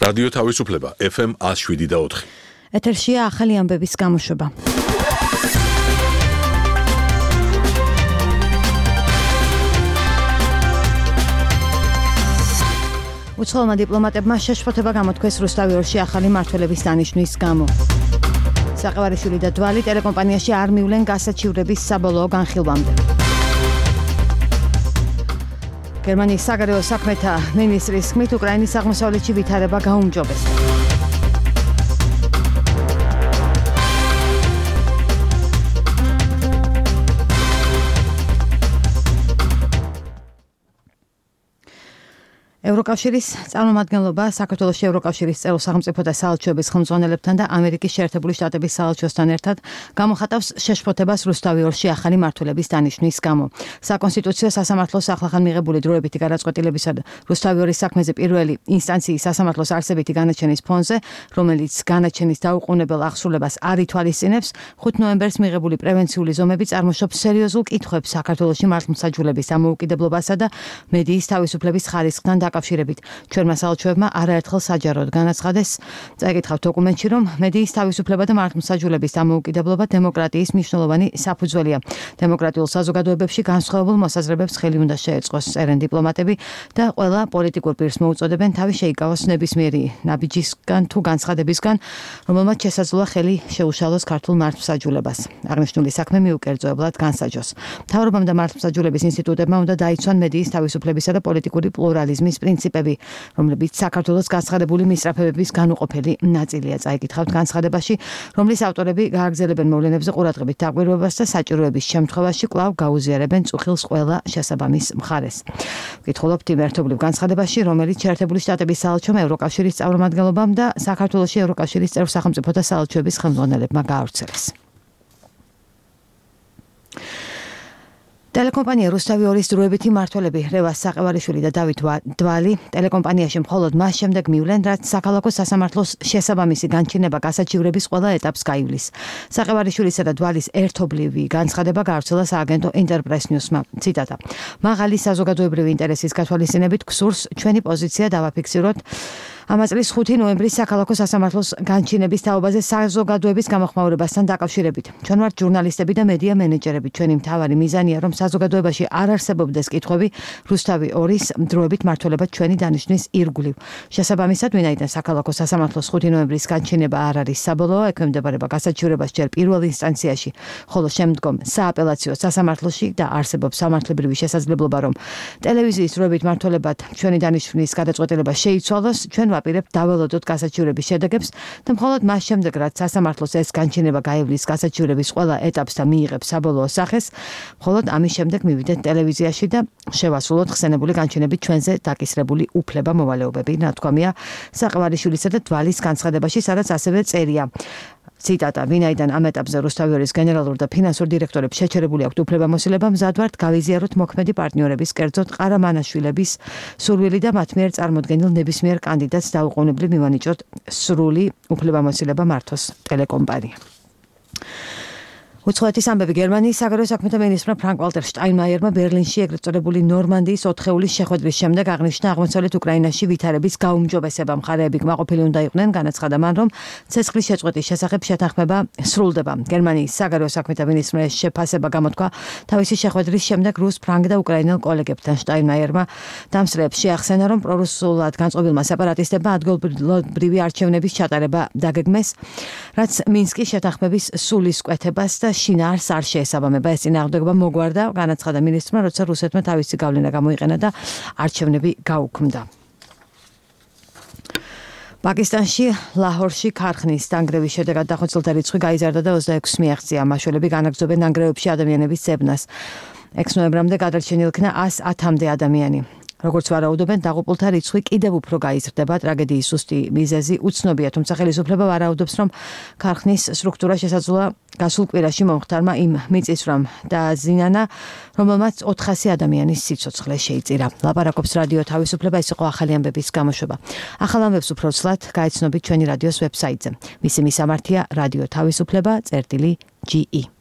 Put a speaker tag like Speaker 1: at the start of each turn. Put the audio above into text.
Speaker 1: რადიო თავისუფლება FM 107.4.
Speaker 2: ეთერშია ახალი ამბების გამოშვება. უცხოელმა დიპლომატებმა შეშფოთება გამოთქვეს რუსთავი-ორში ახალი მმართველების დანიშვნის გამო. საყევარიშვილი და დვალი ტელეკომპანიაში არ მივლენ გასაჩივრების საბოლოო განხილვამდე. გერმანიის საგარეო საქმეთა მინისტრის თქმით, უკრაინის აღმოსავლეთში ვითარება გაუმჯობეს. ევროკავშირის წარმომადგენლობა საქართველოს ევროკავშირის წევრ სახელმწიფოთა საელჩოების ხელმძღვანელებთან და ამერიკის შეერთებული შტატების საელჩოსთან ერთად გამოხატავს შეშფოთებას რუსთავი-ორში ახალი მმართველების დანიშვნის გამო. საკონსტიტუციო სასამართლოს ახლახან მიღებული დროებითი გადაწყვეტილებისა და რუსთავი-ორის საქმეზე პირველი ინსტანციის სასამართლოს არსებითი განაჩენის ფონზე, რომელიც განაჩენის დაუყოვნებელ აღსრულებას არ ითვალისწინებს, 5 ნოემბერს მიღებული პრევენციული ზომები წარმოშობს სერიოზულ კითხვებს საქართველოში მართლმსაჯულების დამოუკიდებლობასა და მედიის თავისუფლების ხარისხთან დაკავშირებით. ჩვენმა საელჩოებმა არაერთხელ საჯაროდ განაცხადეს, წაიკითხავთ დოკუმენტში, რომ მედიის თავისუფლება და მართლმსაჯულების დამოუკიდებლობა დემოკრატიის მნიშვნელოვანი საფუძველია. დემოკრატიულ საზოგადოებებში განსხვავებულ მოსაზრებებს ხელი უნდა შეეწყოს, წერენ დიპლომატები და ყველა პოლიტიკურ პირს მოუწოდებენ თავი შეიკავოს ნებისმიერი ნაბიჯისგან თუ განცხადებისგან, რომელმაც შესაძლოა ხელი შეუშალოს ქართულ მართლმსაჯულებას. აღნიშნული საქმე მიუკერძოებლად განსაჯოს. მთავრობამ და მართლმსაჯულების ინსტიტუტებმა უნდა დაიცვან მედიის თავისუფლებისა და პოლიტიკური პლურალიზმის პრინციპები, რომლებიც საქართველოს განცხადებული მისწრაფებების განუყოფელი ნაწილია. წაიკითხავთ განცხადებაში, რომლის ავტორები გააგრძელებენ მოვლენებზე ყურადღებით დაკვირვებას და საჭიროების შემთხვევაში კვლავ გაუზიარებენ წუხილს ყველა შესაბამის მხარეს. ვკითხულობთ იმ ერთობლივ განცხადებაში, რომელიც შეერთებული შტატების საელჩომ ევროკავშირის წარმომადგენლობამ და საქართველოში ევროკავშირის წევრ სახელმწიფოთა საელჩოების ხელმძღვანელებმა გაავრცელეს. ტელეკომპანია რუსთავი-ორის დროებითი მმართველები რევას საყევარიშვილი და დავით დვალი ტელეკომპანიაში მხოლოდ მას შემდეგ მივლენ, რაც საქალაქო სასამართლოს შესაბამისი განჩინება გასაჩივრების ყველა ეტაპს გაივლის. საყევარიშვილისა და დვალის ერთობლივი განცხადება გაავრცელა სააგენტო ინტერპრეს ნიუსმა. ციტატა: მაღალი საზოგადოებრივი ინტერესის გათვალისწინებით გსურს ჩვენი პოზიცია დავაფიქსიროთ ამ წლის 5 ნოემბრის საქალაქო სასამართლოს განჩინების თაობაზე საზოგადოების გამოხმაურებასთან დაკავშირებით. ჩვენ ვართ ჟურნალისტები და მედია მენეჯერები. ჩვენი მთავარი მიზანია, რომ საზოგადოებაში არ არსებობდეს კითხვები რუსთავი-ორის დროებით მმართველობა ჩვენი დანიშვნის ირგვლივ. შესაბამისად, ვინაიდან საქალაქო სასამართლოს 5 ნოემბრის განჩინება არ არის საბოლოო, ექვემდებარება გასაჩივრებას ჯერ პირველ ინსტანციაში, ხოლო შემდგომ სააპელაციო სასამართლოში და არსებობს სამართლებრივი შესაძლებლობა, რომ ტელევიზიის დროებით მმართველობად ჩვენი დანიშვნის გადაწყვეტილება შეიცვალოს. ჩვენ ვაპირებთ დაველოდოთ გასაჩივრების შედეგებს და მხოლოდ მას შემდეგ, რაც სასამართლოს ეს განჩინება გაივლის გასაჩივრების ყველა ეტაპს და მიიღებს საბოლოო სახეს, მხოლოდ ამის შემდეგ მივიდეთ ტელევიზიაში და შევასრულოთ ხსენებული განჩინებით ჩვენზე დაკისრებული უფლება-მოვალეობები, ნათქვამია საყევარიშვილისა და დვალის განცხადებაში, სადაც ასევე წერია. ციტატა: ვინაიდან ამ ეტაპზე რუსთავი-ორის გენერალურ და ფინანსურ დირექტორებს შეჩერებული აქვთ უფლებამოსილება, მზად ვართ გავიზიაროთ მოქმედი პარტნიორების, კერძოდ ყარამანაშვილების სურვილი და მათ მიერ წარმოდგენილ ნებისმიერ კანდიდატს დაუყოვნებლივ მივანიჭოთ სრული უფლებამოსილება მართოს ტელეკომპანია. უცხოეთის ამბები. გერმანიის საგარეო საქმეთა მინისტრმა ფრანკ-ვალტერ შტაინმაიერმა ბერლინში ეგრეთ წოდებული ნორმანდიის 4-ეულის შეხვედრის შემდეგ აღნიშნა, აღმოსავლეთ უკრაინაში ვითარების გაუმჯობესება. მხარეები კმაყოფილი უნდა იყვნენ, განაცხადა მან, რომ ცეცხლის შეწყვეტის შესახებ შეთანხმება სრულდება. გერმანიის საგარეო საქმეთა მინისტრმა ეს შეფასება გამოთქვა თავისი შეხვედრის შემდეგ რუს, ფრანგ და უკრაინელ კოლეგებთან. შტაინმაიერმა დამსწრეებს შეახსენა, რომ პრორუსულად განწყობილმა სეპარატისტებმა ადგილობრივი არჩევნების ჩატარება დაგეგმეს, რაც მინსკის შეთანხმების სულისკვეთებას და შინაარს არ შეესაბამება. ეს წინააღმდეგობა მოგვარდა, განაცხადა მინისტრმა, როცა რუსეთმა თავისი გავლენა გამოიყენა და არჩევნები გაუქმდა. პაკისტანში ლაჰორში ქარხნის დანგრევის შედეგად დახოცილთა რიცხვი გაიზარდა და 26 მიაღწია. მაშველები განაგრძობენ დანგრევებში ადამიანების ძებნას. 6 ნოემბრამდე გადარჩენილ იქნა 110-მდე ადამიანი. როგორც ვარაუდობენ, დაღუპულთა რიცხვი კიდევ უფრო გაიზრდება. ტრაგედიის ზუსტი მიზეზი უცნობია, თუმცა ხელისუფლება ვარაუდობს, რომ ქარხნის სტრუქტურა შესაძლოა გასულ კვირაში მომხდარმა იმ მიწისძვრამ დააზიანა, რომელმაც 400 ადამიანის სიცოცხლე შეიწირა. ლაპარაკობს რადიო თავისუფლება, ეს იყო ახალი ამბების გამოშვება. ახალ ამბებს უფრო ცლად გაიცნობით ჩვენი რადიოს ვებსაიტზე. მისი მისამართია რადიო თავისუფლება.ge